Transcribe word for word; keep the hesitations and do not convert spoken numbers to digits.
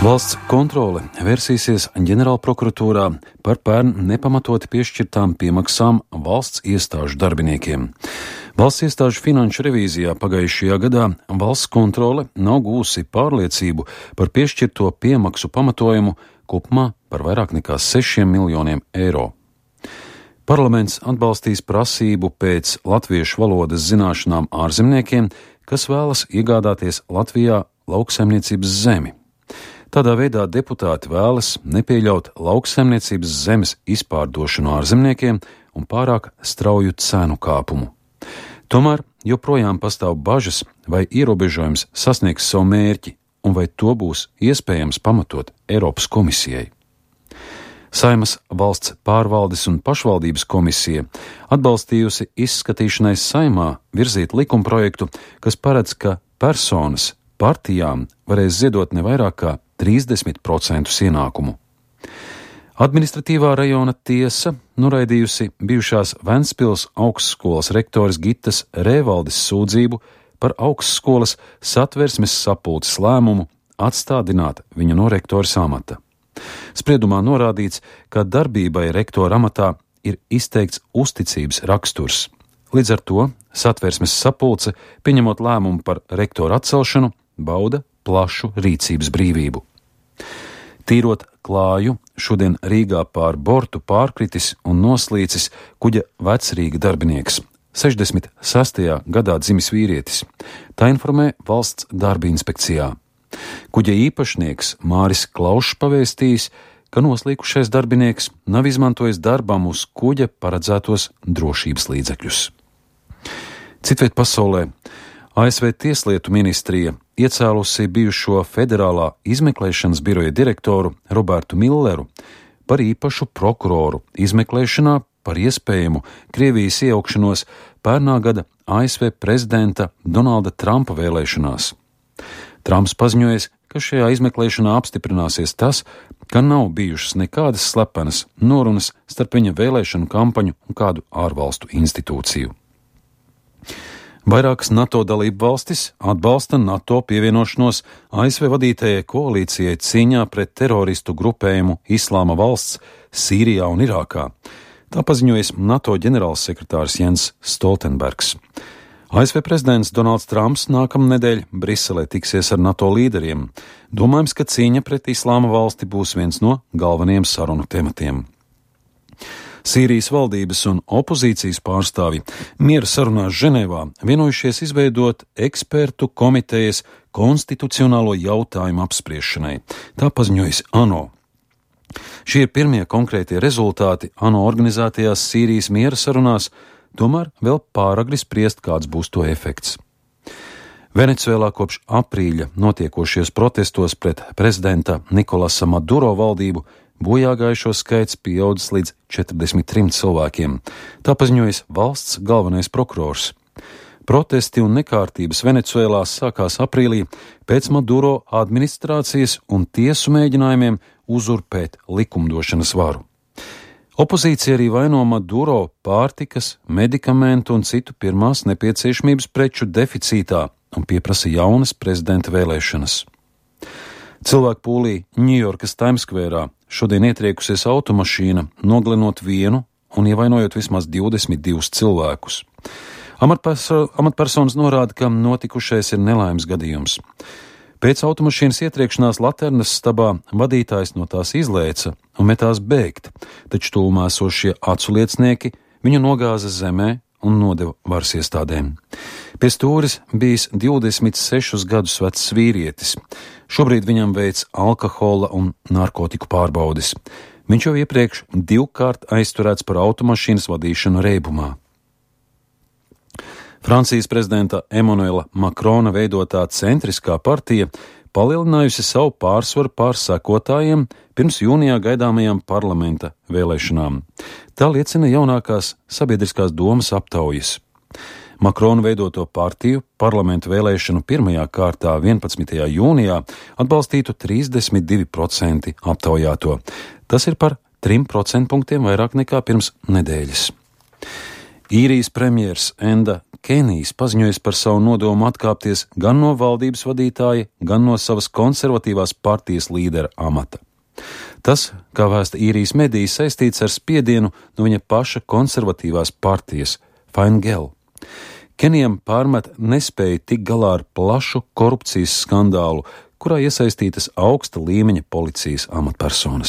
Valsts kontrole vērsīsies ģenerālprokuratūrā par pērn nepamatoti piešķirtām piemaksām valsts iestāžu darbiniekiem. Valsts iestāžu finanšu revīzijā pagājušajā gadā valsts kontrole nav gūsi pārliecību par piešķirto piemaksu pamatojumu kopumā par vairāk nekā sešiem miljoniem eiro. Parlaments atbalstīs prasību pēc latviešu valodas zināšanām ārzemniekiem, kas vēlas iegādāties Latvijā lauksaimniecības zemi. Tādā veidā deputāti vēlas nepieļaut lauksaimniecības zemes izpārdošanu ārzemniekiem un pārāk strauju cenu kāpumu. Tomēr joprojām pastāv bažas, vai ierobežojums sasniegs savu mērķi un vai to būs iespējams pamatot Eiropas komisijai. Saeimas valsts pārvaldes un pašvaldības komisija atbalstījusi izskatīšanai Saeimā virzīt likumprojektu, kas paredz, ka personas partijām varēs ziedot ne vairāk kā trīsdesmit procentus ienākumu. Administratīvā rajona tiesa noraidījusi bijušās Ventspils augstskolas rektoras Gitas Rēvaldes sūdzību par augstskolas satversmes sapulces lēmumu atstādināt viņu no rektoras amata. Spriedumā norādīts, ka darbībai rektora amatā ir izteikts uzticības raksturs. Līdz ar to satversmes sapulce, pieņemot lēmumu par rektora atcelšanu, bauda plašu rīcības brīvību. Tīrot klāju, šodien Rīgā pār bortu pārkritis un noslīcis kuģa Vecrīga darbinieks, sešdesmit sestajā gadā dzimis vīrietis. Tā informē valsts darba inspekcijā. Kuģa īpašnieks Māris Klaušs pavēstījis, ka noslīkušais darbinieks nav izmantojis darbam uz kuģa paredzētos drošības līdzekļus. Citviet pasaulē A S V Tieslietu ministrija iecēlusi bijušo federālā izmeklēšanas biroja direktoru Robertu Milleru par īpašu prokuroru izmeklēšanā par iespējamu Krievijas iejaukšanos pērnā gada A S V prezidenta Donalda Trumpa vēlēšanās. Trumps paziņojis, ka šajā izmeklēšanā apstiprināsies tas, ka nav bijušas nekādas slepenas norunas starp viņa vēlēšanu kampaņu un kādu ārvalstu institūciju. Vairākas NATO dalību valstis atbalsta NATO pievienošanos A S V vadītajai koalīcijai cīņā pret teroristu grupējumu Islāma valsts Sīrijā un Irākā. Tā paziņojis NATO ģenerālsekretārs Jens Stoltenbergs. A S V prezidents Donalds Trumps nākamnedēļ Briselē tiksies ar NATO līderiem. Domājams, ka cīņa pret Islāma valsti būs viens no galvenajiem sarunu tematiem. Sīrijas valdības un opozīcijas pārstāvji miera sarunās Ženēvā vienojušies izveidot ekspertu komitejas konstitucionālo jautājumu apspriešanai. Tā paziņojas ANO. Šie ir pirmie konkrētie rezultāti ANO organizētajās Sīrijas miera sarunās, tomēr vēl pāragri spriest, kāds būs to efekts. Venecuēlā kopš aprīļa notiekošies protestos pret prezidenta Nikolasa Maduro valdību bojāgājušo skaits pieaudzis līdz četrdesmit trim cilvēkiem. Tā paziņojas valsts galvenais prokurors. Protesti un nekārtības Venecuēlā sākās aprīlī pēc Maduro administrācijas un tiesu mēģinājumiem uzurpēt likumdošanas varu. Opozīcija arī vaino Maduro pārtikas, medikamentu un citu pirmās nepieciešamības preču deficītā un pieprasa jaunas prezidenta vēlēšanas. Cilvēku pūlī Ņujorkas Times Square šodien ietriekusies automašīna, noglenot vienu un ievainojot vismaz divdesmit divus cilvēkus. Amatperso- amatpersonas norāda, ka notikušais ir nelaimes gadījums. Pēc automašīnas ietriekšanās Laternas stabā vadītājs no tās izlēca un metās bēgt, taču tūmā esošie aculiecinieki viņu nogāza zemē un nodeva varas iestādēm. Pie stūres bijis divdesmit sešus gadus vecs vīrietis. Šobrīd viņam veic alkohola un narkotiku pārbaudes. Viņš jau iepriekš divkārt aizturēts par automašīnas vadīšanu reibumā. Francijas prezidenta Emanuela Makrona veidotā centriskā partija palielinājusi savu pārsvaru pār sekotājiem pirms jūnijā gaidāmajām parlamenta vēlēšanām. Tā liecina jaunākās sabiedriskās domas aptaujas. Makrona veidoto partiju parlamentu vēlēšanu pirmajā kārtā vienpadsmitajā jūnijā atbalstītu trīsdesmit divi procenti aptaujāto. Tas ir par trim procentpunktiem vairāk nekā pirms nedēļas. Īrijas premjers Enda Kenijs paziņojis par savu nodomu atkāpties gan no valdības vadītāja, gan no savas konservatīvās partijas līdera amata. Tas, kā vēsta īrijas mediji, saistīts ar spiedienu no viņa paša konservatīvās partijas Fine Gael. Kenijam pārmet nespēju tikt galā ar plašu korupcijas skandālu, kurā iesaistītas augsta līmeņa policijas amatpersonas.